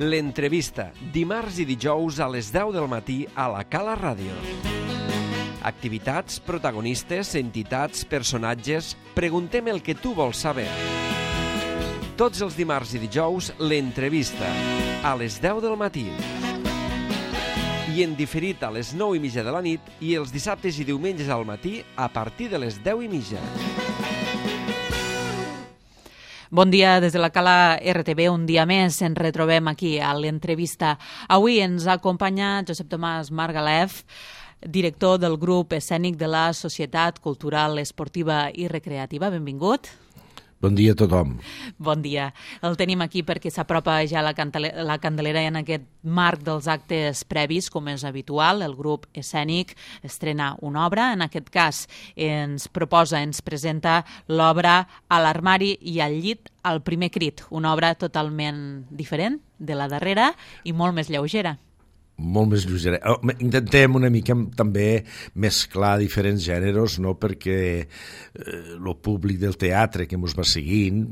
L'entrevista, dimarts i dijous a les 10 del matí a la Cala Ràdio. Activitats, protagonistes, entitats, personatges... Preguntem el que tu vols saber. Tots els dimarts i dijous, l'entrevista, a les 10 del matí. I en diferit a les 9:30 de la nit i els dissabtes i diumenges al matí a partir de les 10:30. Bon dia des de la Cala RTV, un dia més ens retrobem aquí a l'entrevista. Avui ens acompanya Josep Tomàs Margalef, director del grup escènic de la Societat Cultural Esportiva i Recreativa. Benvingut. Bon dia a tothom. Bon dia. El tenim aquí perquè s'apropa ja la Candelera en aquest marc dels actes previs, com és habitual. El grup escènic estrena una obra. En aquest cas ens presenta l'obra A l'armari i al llit, al primer crit. Una obra totalment diferent de la darrera i molt més lleugera. Molt més lleugera. Intentem una mica també mesclar diferents gèneres, no? Perquè el públic del teatre que ens va seguint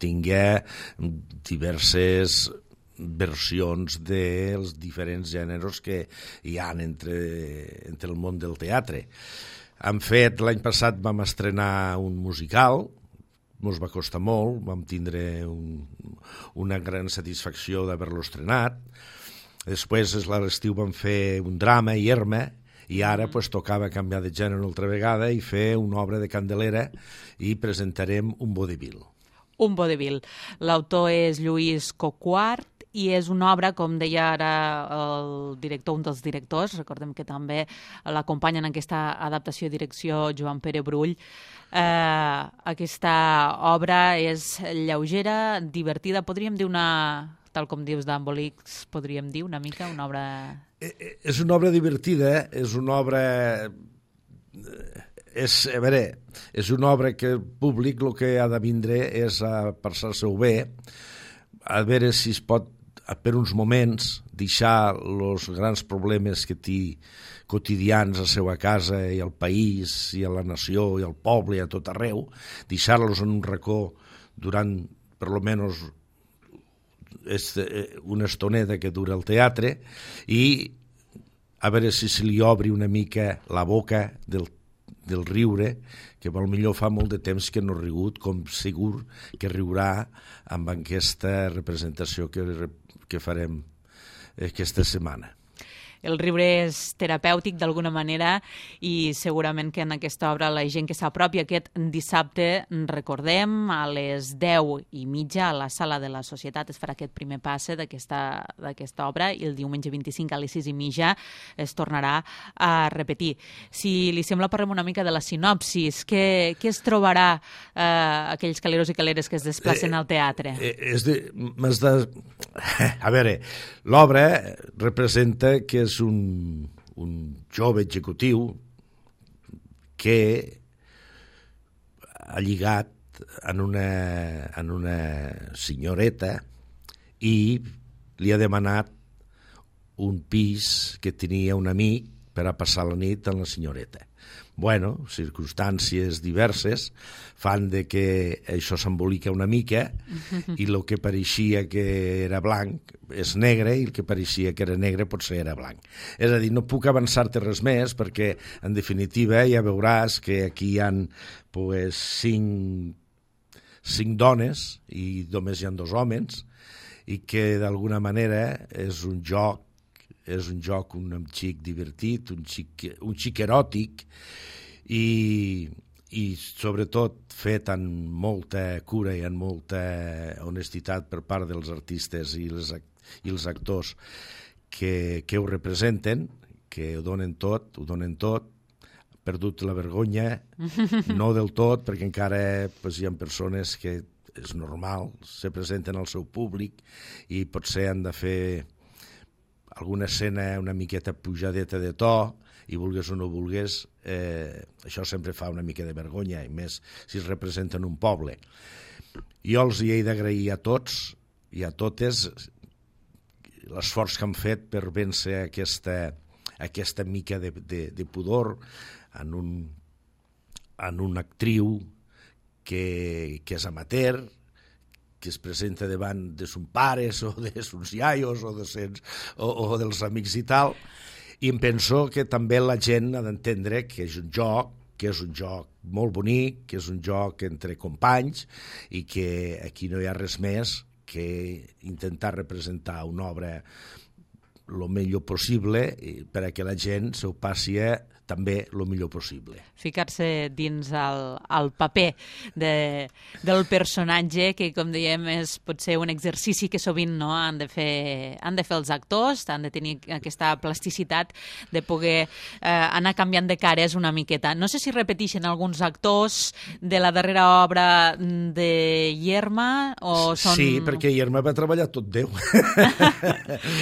tingui diverses versions dels diferents gèneres que hi ha entre el món del teatre. Hem fet, l'any passat vam estrenar un musical, ens va costar molt, vam tindre una gran satisfacció d'haver-lo estrenat. Després, a l'estiu, vam fer un drama, Irma, i ara tocava canviar de gènere una altra vegada i fer una obra de Candelera i presentarem un vodevil. Un vodevil. L'autor és Lluís Coquart i és una obra, com deia ara el director, un dels directors, recordem que també l'acompanya en aquesta adaptació i direcció Joan Pere Brull. Aquesta obra és lleugera, divertida, podríem dir tal com dius d'Embolics, podríem dir una mica, una obra... És una obra divertida, és una obra... És una obra que el públic el que ha de vindre és a passar-se-ho bé, a veure si es pot, per uns moments, deixar els grans problemes que té quotidians a la seva casa i al país i a la nació i al poble i a tot arreu, deixar-los en un racó durant, per lo menos, una estoneta que dura el teatre i a veure si se li obri una mica la boca del riure, que potser fa molt de temps que no ha rigut, com segur que riurà amb aquesta representació que farem aquesta setmana. El riure és terapèutic d'alguna manera i segurament que en aquesta obra la gent que s'apropi aquest dissabte, recordem, a les 10:30 a la Sala de la Societat es farà aquest primer passe d'aquesta obra i el diumenge 25 a les 6:30 es tornarà a repetir. Si li sembla, parlem una mica de la sinopsis. Què es trobarà aquells caleros i caleres que es desplacen al teatre? A veure, l'obra representa que és un jove executiu que ha lligat en una senyoreta i li ha demanat un pis que tenia un amic per a passar la nit amb la senyoreta. Bueno, circumstàncies diverses fan de que això s'embolica una mica i el que pareixia que era blanc és negre i el que pareixia que era negre potser era blanc. És a dir, no puc avançar-te res més perquè, en definitiva, ja veuràs que aquí hi ha cinc dones i només hi ha 2 homes i que d'alguna manera és un joc, un xic divertit, un xic eròtic i sobretot fet amb molta cura i amb molta honestitat per part dels artistes i els actors que ho representen, que ho donen tot, perdut la vergonya, no del tot, perquè encara hi ha persones que és normal, se presenten al seu públic i potser han de fer alguna escena una miqueta pujadeta de to i vulgues o no vulgues, això sempre fa una mica de vergonya, i més si es representa en un poble. Jo els hi he d'agrair a tots i a totes l'esforç que han fet per vèncer aquesta mica de pudor en una actriu que és amateur, que es presenta davant de son pares o de sons iaios o dels amics i tal, i em penso que també la gent ha d'entendre que és un joc molt bonic, que és un joc entre companys i que aquí no hi ha res més que intentar representar una obra el millor possible per a que la gent s'ho passi també el millor possible. Ficar-se dins el paper del personatge, que com dèiem és potser un exercici que sovint no han de fer els actors, han de tenir aquesta plasticitat de poder anar canviant de cares una miqueta. No sé si repeteixen alguns actors de la darrera obra de Yerma o són... Sí, perquè Yerma va treballar tot Déu.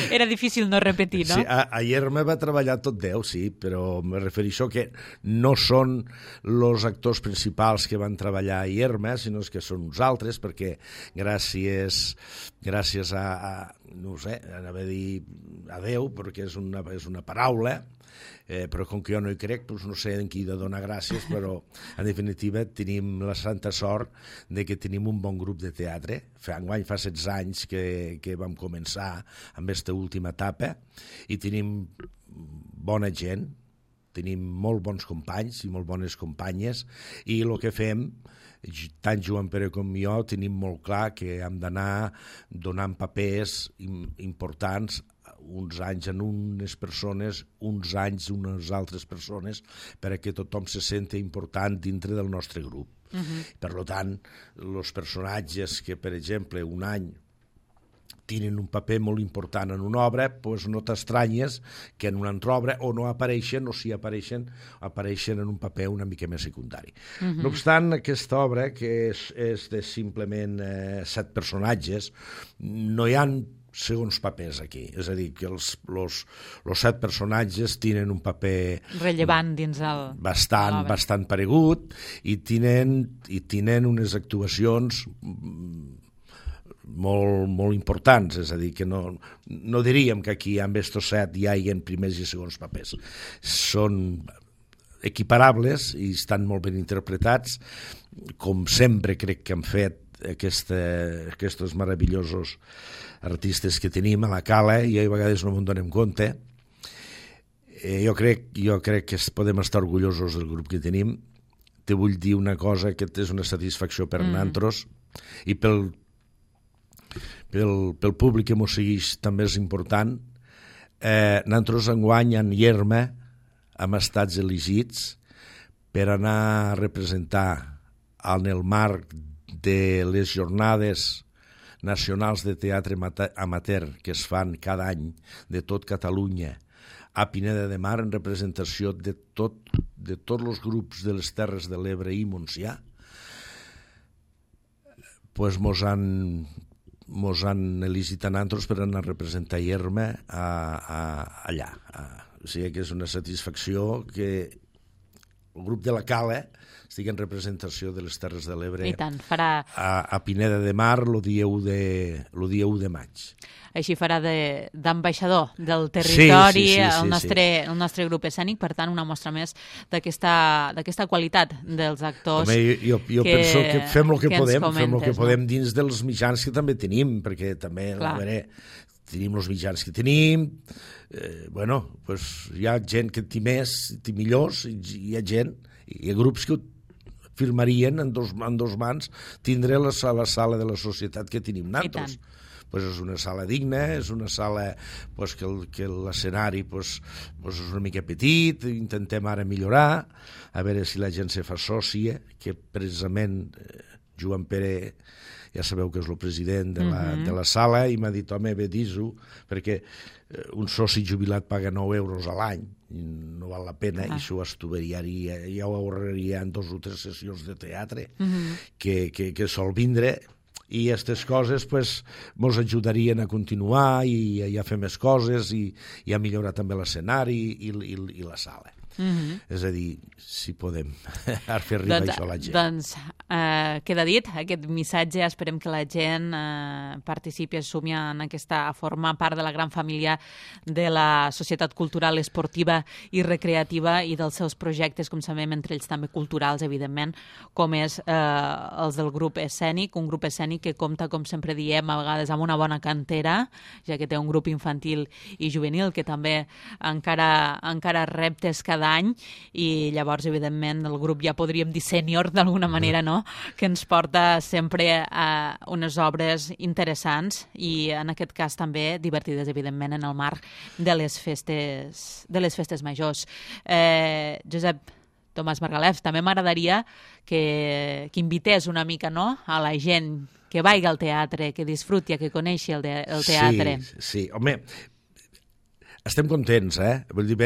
Era difícil no repetir, no? Sí, a Yerma va treballar tot Déu, sí, però me refereixo que no són els actors principals que van treballar a Yerma, sinó que són uns altres, perquè gràcies a no sé, anava a dir a Déu, perquè és una paraula, però com que jo no hi crec, doncs no sé en qui de donar gràcies, però en definitiva tenim la santa sort de que tenim un bon grup de teatre. Enguany fa 16 anys que vam començar amb aquesta última etapa i tenim bona gent, tenim molt bons companys i molt bones companyes i el que fem, tant Joan Pere com jo, tenim molt clar que hem d'anar donant papers importants uns anys en unes persones, uns anys en unes altres persones, perquè tothom se senti important dintre del nostre grup. Per tant, els personatges que, per exemple, un any tenen un paper molt important en una obra, doncs no t'estranyes que en una altra obra o no apareixen, o si apareixen en un paper una mica més secundari. No obstant, aquesta obra, que és de simplement 7 personatges, no hi ha segons papers aquí, és a dir, que els 7 personatges tenen un paper rellevant dins el... bastant paregut i tenen unes actuacions molt importants, és a dir, que no diríem que aquí amb estos 7 hi hagi primers i segons papers. Són equiparables i estan molt ben interpretats, com sempre crec que han fet aquests meravellosos artistes que tenim a la Cala, i a vegades no me'n donem compte. Jo crec que podem estar orgullosos del grup que tenim. Te vull dir una cosa que és una satisfacció per nosaltres i pel públic que mos segueix també és important. Nosaltres enguany en Yerma hem estat elegits per anar a representar en el marc de les jornades nacionals de teatre amateur que es fan cada any de tot Catalunya a Pineda de Mar en representació de tots els grups de les Terres de l'Ebre i Montsià. Pues mos han elegit a nosaltres per anar a representar Yerma allà. O sigui que és una satisfacció que el grup de la Cala estigui en representació de les Terres de l'Ebre a Pineda de Mar el dia 1 de maig. Així farà d'ambaixador del territori el nostre grup escènic, per tant una mostra més d'aquesta qualitat dels actors. Jo penso que fem el que podem dins dels mitjans que també tenim, perquè també, a veure, tenim els mitjans que tenim, hi ha gent que té més, té millors, hi ha grups que firmarien en dos mans tindre la sala de la societat que tenim nosaltres. És una sala digna, és una sala que l'escenari és una mica petit, intentem ara millorar, a veure si la gent se fa sòcia, que precisament Joan Pere, ja sabeu que és el president de la sala, i m'ha dit, home, bé, dis-ho, perquè un soci jubilat paga 9 euros a l'any, no val la pena, i això ja ho ahorraria en 2 o 3 sessions de teatre que sol vindre, i aquestes coses ens ajudarien a continuar i a fer més coses i a millorar també l'escenari i la sala. És a dir, si podem fer arribar això a la gent. Doncs queda dit, aquest missatge, esperem que la gent participi, assumi en aquesta forma part de la gran família de la societat cultural, esportiva i recreativa i dels seus projectes, com sabem, entre ells també culturals, evidentment, com és els del grup escènic, un grup escènic que compta, com sempre diem, a vegades amb una bona cantera, ja que té un grup infantil i juvenil que també encara reptes cada any, i llavors, evidentment, el grup ja podríem dir sènior d'alguna manera, no?, que ens porta sempre a unes obres interessants i, en aquest cas, també divertides, evidentment, en el marc de les festes majors. Josep Tomàs Margalef, també m'agradaria que invités una mica, no?, a la gent que vagi al teatre, que disfruti, que coneixi el teatre. Sí, home, estem contents, Vull dir,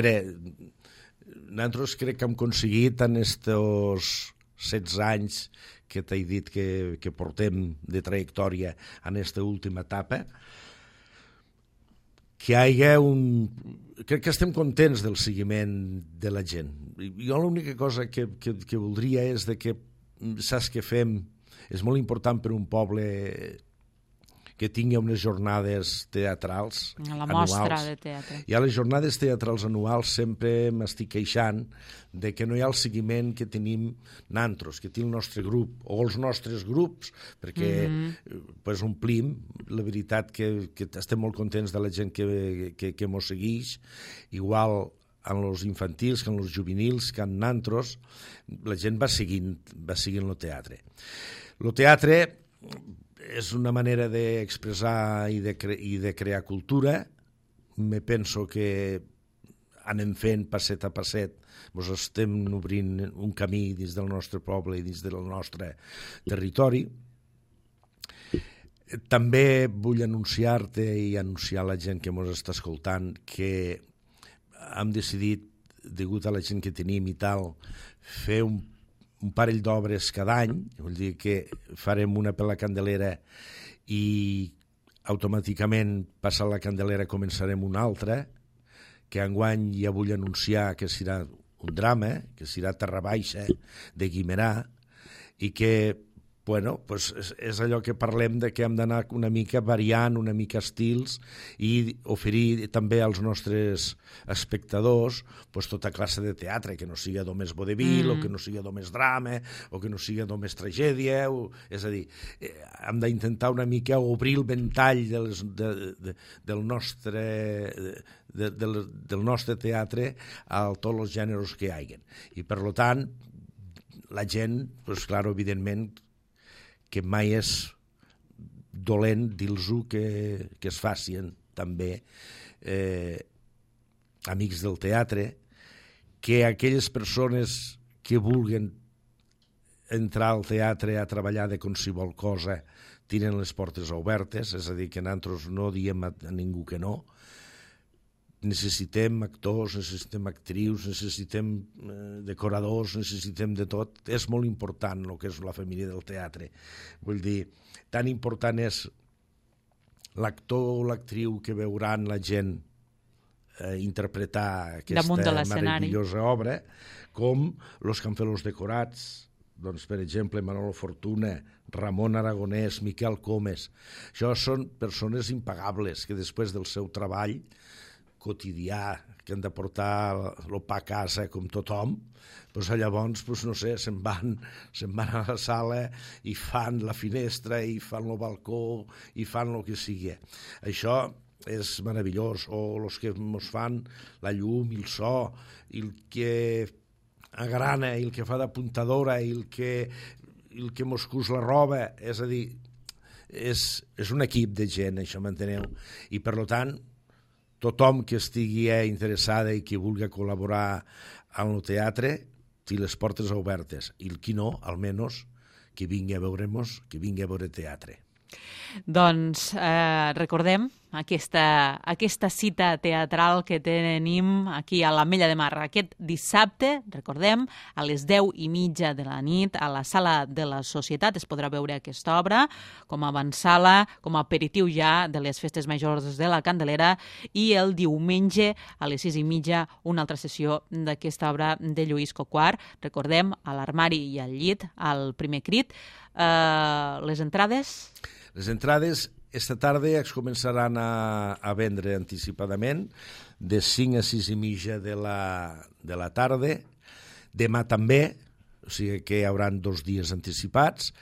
nosaltres crec que hem aconseguit en estos 16 anys que t'he dit que portem de trajectòria en aquesta última etapa, que hi hagi crec que estem contents del seguiment de la gent. Jo l'única cosa que voldria és que saps què fem? És molt important per un poble que tingui unes jornades teatrals la mostra de teatre. I a les jornades teatrals anuals sempre m'estic queixant de que no hi ha el seguiment que tenim nosaltres, que té el nostre grup, o els nostres grups, perquè pues, omplim. La veritat que estem molt contents de la gent que mos segueix, igual en els infantils, que en els juvenils, que en nosaltres, la gent va seguint el teatre. El teatre és una manera d'expressar i de crear cultura. Me penso que anem fent passet a passet, ens estem obrint un camí dins del nostre poble i dins del nostre territori. També vull anunciar-te i anunciar a la gent que ens està escoltant que hem decidit, degut a la gent que tenim i tal, fer un parell d'obres cada any, vull dir que farem una per la Candelera i automàticament, passant la Candelera, començarem una altra, que enguany ja vull anunciar que serà un drama, que serà Terra Baixa, de Guimerà, i que, bueno, pues és allò que parlem de que hem d'anar una mica variant, una mica estils, i oferir també als nostres espectadors pues, tota classe de teatre, que no sigui només vodevil, o que no sigui només drama, o que no sigui només tragèdia, és a dir, hem d'intentar una mica obrir el ventall del nostre teatre a tots els gèneres que hi hagi. I, per tant, la gent, pues, clar, evidentment, que mai és dolent dir-los que es facin també amics del teatre, que aquelles persones que vulguen entrar al teatre a treballar de qualsevol cosa tenen les portes obertes, és a dir, que nosaltres no diem a ningú que no. Necessitem actors, necessitem actrius, necessitem decoradors, necessitem de tot. És molt important el que és la família del teatre. Vull dir, tan important és l'actor o l'actriu que veuran la gent interpretar aquesta meravellosa obra, com els que han fet els decorats, doncs, per exemple, Manolo Fortuna, Ramon Aragonès, Miquel Comes. Això són persones impagables que després del seu treball quotidià, que han de portar el pa a casa com tothom, doncs llavors, no sé, se'n van a la sala i fan la finestra i fan el balcó i fan el que sigui. Això és meravellós. O els que ens fan la llum i el so, i el que agrana, i el que fa d'apuntadora, i el que mos cus la roba. És a dir, és un equip de gent, això, m'enteneu? I, per tant, tothom que estigui interessada i que vulgui col·laborar en el teatre té les portes obertes, i el qui no, almenys, que vingui a veure teatre. Doncs recordem aquesta cita teatral que tenim aquí a l'Ametlla de Mar. Aquest dissabte, recordem, a les 10:30 de la nit, a la Sala de la Societat es podrà veure aquesta obra com a avantsala, com a aperitiu ja de les festes majors de la Candelera, i el diumenge a les 6:30 una altra sessió d'aquesta obra de Lluís Coquart. Recordem, a l'Armari i al Llit, al Primer Crit. Les entrades? Les entrades esta tarda es començaran a vendre anticipadament de 5 a 6:30 de la tarda. Demà també, o sigui que hi haurà 2 dies anticipats.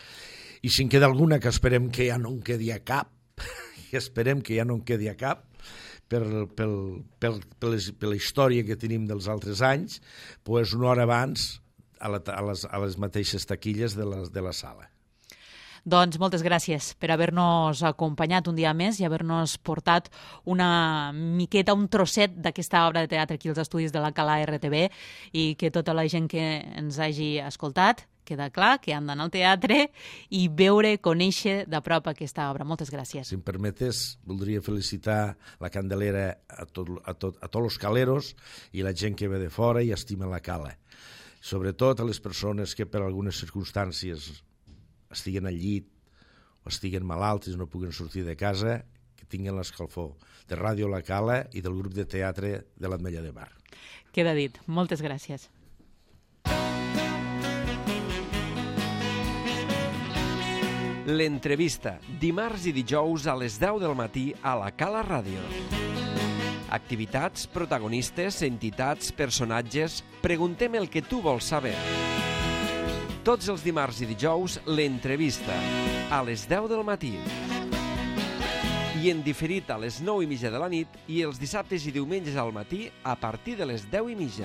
I si en queda alguna, que esperem que ja no en quedi a cap, per la història que tenim dels altres anys, doncs una hora abans a les mateixes taquilles de la sala. Doncs moltes gràcies per haver-nos acompanyat un dia més i haver-nos portat una miqueta, un trosset d'aquesta obra de teatre aquí als estudis de la Cala RTV, i que tota la gent que ens hagi escoltat queda clar que han d'anar al teatre i veure, conèixer de prop aquesta obra. Moltes gràcies. Si em permetes, voldria felicitar la Candelera a tots els caleros i la gent que ve de fora i estima la Cala. Sobretot a les persones que per algunes circumstàncies estiguen al llit o estiguen malalts i no puguen sortir de casa, que tinguin l'escalfor de Ràdio La Cala i del grup de teatre de l'Ametlla de Mar. Queda dit. Moltes gràcies. L'entrevista, dimarts i dijous a les 10 del matí a la Cala Ràdio. Activitats, protagonistes, entitats, personatges... Preguntem el que tu vols saber. Tots els dimarts i dijous, l'entrevista, a les 10 del matí. I en diferit a les 9:30 de la nit i els dissabtes i diumenges al matí a partir de les 10:30.